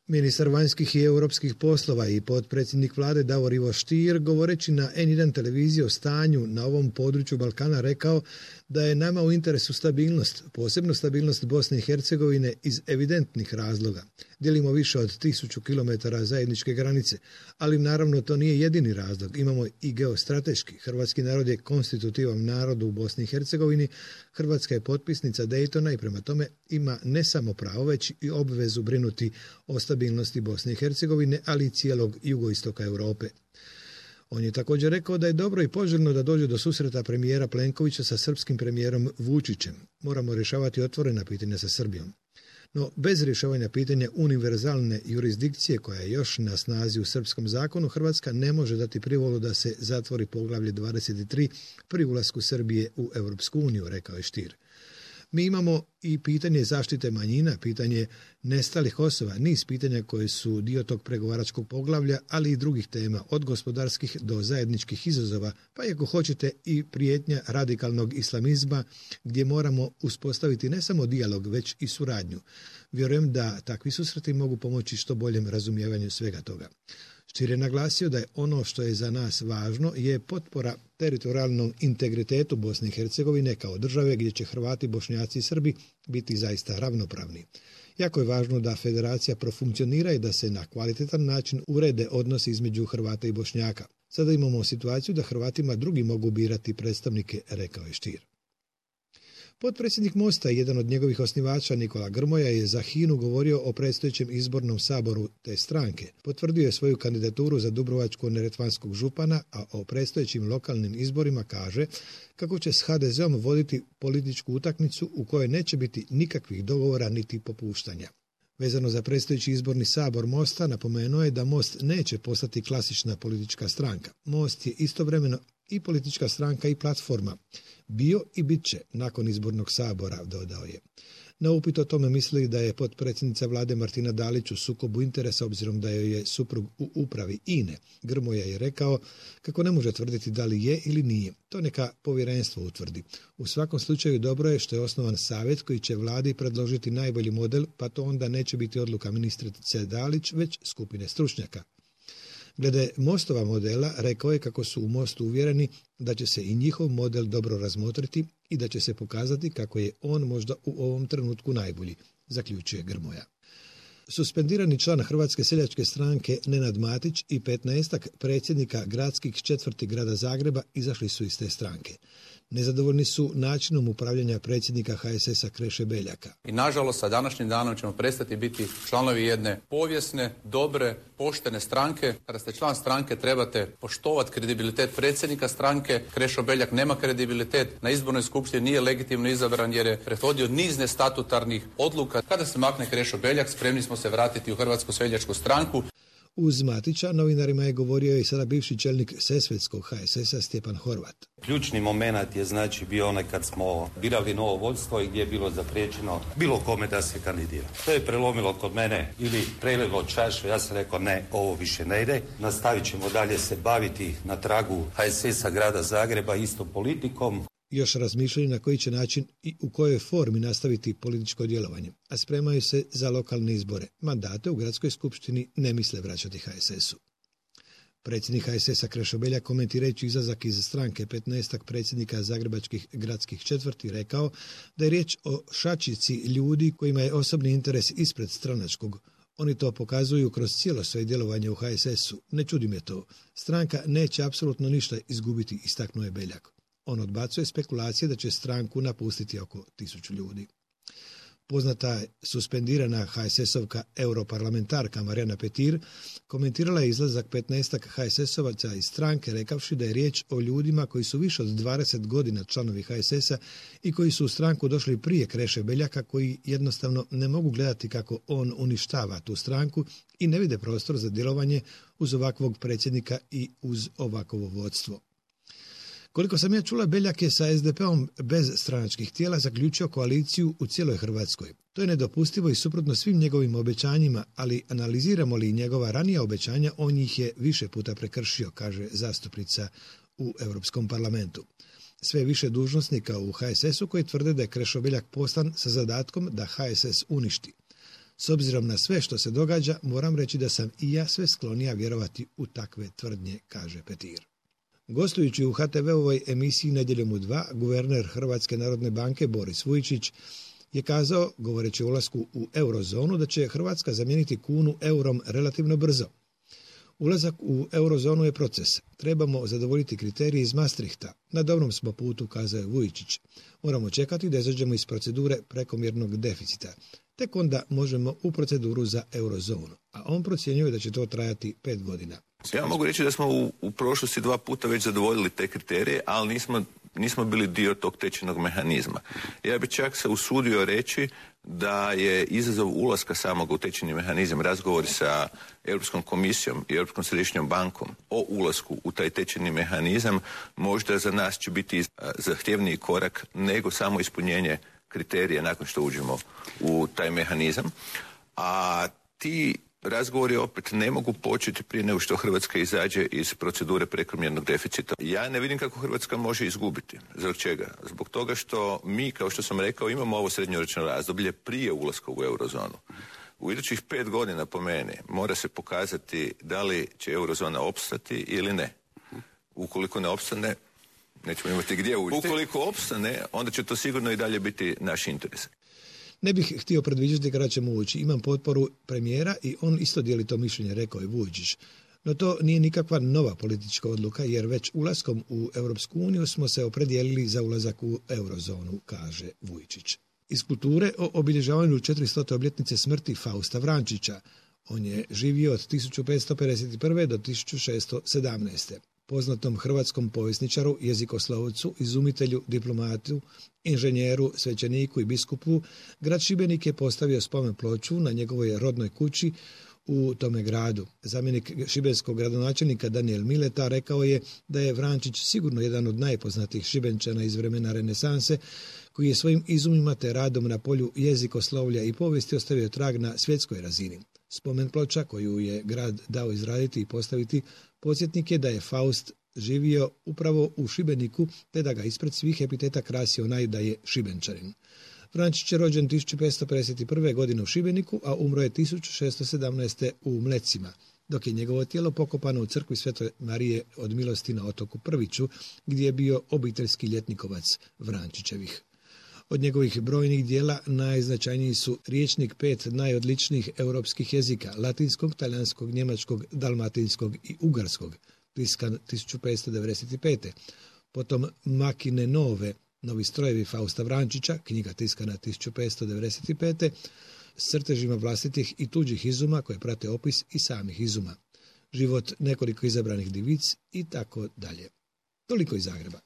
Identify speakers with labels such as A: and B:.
A: Ministar vanjskih i europskih poslova i potpredsjednik vlade Davor Ivo Stier, govoreći na N1 televiziji o stanju na ovom području Balkana, rekao da je nama u interesu stabilnost, posebno stabilnost Bosne i Hercegovine iz evidentnih razloga. Dijelimo više od 1000 km zajedničke granice, ali naravno to nije jedini razlog. Imamo i geostrateški. Hrvatski narod je konstitutivan narod u Bosni i Hercegovini. Hrvatska je potpisnica Daytona i prema tome ima ne samo pravo, već i obvezu brinuti o stabilnosti Bosne i Hercegovine, ali i cijelog jugoistoka Europe. On je također rekao da je dobro i poželjno da dođe do susreta premijera Plenkovića sa srpskim premijerom Vučićem. Moramo rješavati otvorena pitanja sa Srbijom. No, bez rješavanja pitanja univerzalne jurisdikcije koja je još na snazi u srpskom zakonu, Hrvatska ne može dati privolu da se zatvori poglavlje 23 pri ulasku Srbije u Europsku uniju, rekao je Stier. Mi imamo i pitanje zaštite manjina, pitanje nestalih osoba, niz pitanja koje su dio tog pregovaračkog poglavlja, ali i drugih tema, od gospodarskih do zajedničkih izazova, pa i ako hoćete i prijetnja radikalnog islamizma, gdje moramo uspostaviti ne samo dijalog, već i suradnju. Vjerujem da takvi susreti mogu pomoći što boljem razumijevanju svega toga. Stier je naglasio da je ono što je za nas važno je potpora teritorijalnom integritetu Bosne i Hercegovine kao države gdje će Hrvati, Bošnjaci i Srbi biti zaista ravnopravni. Jako je važno da federacija profunkcionira i da se na kvalitetan način urede odnosi između Hrvata i Bošnjaka. Sada imamo situaciju da Hrvatima drugi mogu birati predstavnike, rekao je Stier. Potpredsjednik Mosta i jedan od njegovih osnivača Nikola Grmoja je za HINA-u govorio o predstojećem izbornom saboru te stranke. Potvrdio je svoju kandidaturu za dubrovačko-neretvanskog župana, a o predstojećim lokalnim izborima kaže kako će s HDZ-om voditi političku utakmicu u kojoj neće biti nikakvih dogovora niti popuštanja. Vezano za predstojeći izborni sabor Mosta, napomenuo je da Most neće postati klasična politička stranka. Most je istovremeno i politička stranka i platforma. Bio i bit će nakon izbornog sabora, dodao je. Na upit o tome misli da je potpredsjednica vlade Martina Dalić u sukobu interesa obzirom da joj je suprug u upravi INE. Grmoja je rekao kako ne može tvrditi da li je ili nije. To neka povjerenstvo utvrdi. U svakom slučaju dobro je što je osnovan savjet koji će vladi predložiti najbolji model, pa to onda neće biti odluka ministrice Dalić, već skupine stručnjaka. Glede Mostova modela, rekao je kako su u Mostu uvjereni da će se i njihov model dobro razmotriti i da će se pokazati kako je on možda u ovom trenutku najbolji, zaključuje Grmoja. Suspendirani član Hrvatske seljačke stranke Nenad Matić i 15 predsjednika gradskih četvrti grada Zagreba izašli su iz te stranke. Nezadovoljni su načinom upravljanja predsjednika HSS-a Kreše Beljaka.
B: I nažalost sa današnjim danom ćemo prestati biti članovi jedne povijesne, dobre, poštene stranke. Kada ste član stranke trebate poštovati kredibilitet predsjednika stranke. Krešo Beljak nema kredibilitet, na izbornoj skupštini nije legitimno izabran jer je pretvodio niz nestatutarnih odluka. Kada se makne Krešo Beljak, spremni smo se vratiti u Hrvatsku seljačku stranku.
A: Uz Matića novinarima je govorio i sada bivši čelnik Sesvetskog HSS-a Stjepan Horvat.
C: Ključni moment je znači bio onaj kad smo birali novo vodstvo i gdje je bilo zapriječeno bilo kome da se kandidira. To je prelomilo kod mene ili prelilo čašu, ja sam rekao ne, ovo više ne ide. Nastavit ćemo dalje se baviti na tragu HSS-a grada Zagreba istom politikom.
A: Još razmišljaju na koji će način i u kojoj formi nastaviti političko djelovanje, a spremaju se za lokalne izbore. Mandate u gradskoj skupštini ne misle vraćati HSS-u. Predsjednik HSS-a Krešo Beljak, komentirajući izlazak iz stranke 15 predsjednika zagrebačkih gradskih četvrti, rekao da je riječ o šačici ljudi kojima je osobni interes ispred stranačkog. Oni to pokazuju kroz cijelo svoje djelovanje u HSS-u. Ne čudi me to. Stranka neće apsolutno ništa izgubiti, istaknuo je Beljak. On odbacuje spekulacije da će stranku napustiti oko 1000 ljudi. Poznata je suspendirana HSS-ovka europarlamentarka Marijana Petir komentirala je izlazak 15 HSS-ovaca iz stranke rekavši da je riječ o ljudima koji su više od 20 godina članovi HSS-a i koji su u stranku došli prije Kreše Beljaka, koji jednostavno ne mogu gledati kako on uništava tu stranku i ne vide prostor za djelovanje uz ovakvog predsjednika i uz ovakvo vodstvo. Koliko sam ja čula, Beljak je sa SDP-om bez stranačkih tijela zaključio koaliciju u cijeloj Hrvatskoj. To je nedopustivo i suprotno svim njegovim obećanjima, ali analiziramo li njegova ranija obećanja, on ih je više puta prekršio, kaže zastupnica u Europskom parlamentu. Sve više dužnosnika u HSS-u koji tvrde da je Krešo Beljak poslan sa zadatkom da HSS uništi. S obzirom na sve što se događa, moram reći da sam i ja sve sklonija vjerovati u takve tvrdnje, kaže Petir. Gostujući u HTV-ovoj emisiji Nedjeljom u 2, guverner Hrvatske narodne banke Boris Vujčić je kazao, govoreći o ulasku u eurozonu, da će Hrvatska zamijeniti kunu eurom relativno brzo. Ulazak u eurozonu je proces. Trebamo zadovoljiti kriterije iz Maastrichta. Na dobrom smo putu, kazao je Vujčić. Moramo čekati da izađemo iz procedure prekomjernog deficita. Tek onda možemo u proceduru za eurozonu. A on procjenjuje da će to trajati 5 godina.
D: Ja mogu reći da smo u prošlosti 2 puta već zadovoljili te kriterije, ali nismo bili dio tog tečajnog mehanizma. Ja bih čak se usudio reći da je izazov ulaska samog u tečajni mehanizam, razgovori sa Europskom komisijom i Europskom središnjom bankom o ulasku u taj tečajni mehanizam, možda za nas će biti zahtjevniji korak nego samo ispunjenje kriterija nakon što uđemo u taj mehanizam. A ti razgovori opet ne mogu početi prije nego što Hrvatska izađe iz procedure prekomjernog deficita. Ja ne vidim kako Hrvatska može izgubiti. Zbog čega? Zbog toga što mi, kao što sam rekao, imamo ovo srednjoročno razdoblje prije ulaska u eurozonu. U idućih 5 godina, po meni, mora se pokazati da li će eurozona opstati ili ne. Ukoliko ne opstane, nećemo imati gdje ući. Ukoliko opstane, onda će to sigurno i dalje biti naš interes.
A: Ne bih htio predviđati kada ćemo ući. Imam potporu premijera i on isto dijeli to mišljenje, rekao je Vujčić. No to nije nikakva nova politička odluka, jer već ulaskom u Europsku uniju smo se opredijelili za ulazak u eurozonu, kaže Vujčić. Iz kulture o obilježavanju 400. obljetnice smrti Fausta Vrančića. On je živio od 1551. do 1617. Poznatom hrvatskom povjesničaru, jezikoslovcu, izumitelju, diplomatu, inženjeru, svećeniku i biskupu, grad Šibenik je postavio spomen ploču na njegovoj rodnoj kući u tome gradu. Zamjenik šibenskog gradonačelnika Danijel Mileta rekao je da je Vrančić sigurno jedan od najpoznatijih Šibenčana iz vremena renesanse, koji je svojim izumima te radom na polju jezikoslovlja i povijesti ostavio trag na svjetskoj razini. Spomen ploča koju je grad dao izraditi i postaviti podsjetnik je da je Faust živio upravo u Šibeniku, te da ga ispred svih epiteta krasi onaj da je Šibenčanin. Vrančić je rođen 1551. godine u Šibeniku, a umro je 1617. u Mlecima, dok je njegovo tijelo pokopano u crkvi Svete Marije od Milosti na otoku Prviću, gdje je bio obiteljski ljetnikovac Vrančićevih. Od njegovih brojnih dijela najznačajniji su Rječnik 5 najodličnijih europskih jezika, latinskog, talijanskog, njemačkog, dalmatinskog i ugarskog, tiskan 1595. Potom Makine nove, novi strojevi Fausta Vrančića, knjiga tiskana 1595. s crtežima vlastitih i tuđih izuma koje prate opis i samih izuma. Život nekoliko izabranih divic i tako dalje. Toliko iz Zagreba.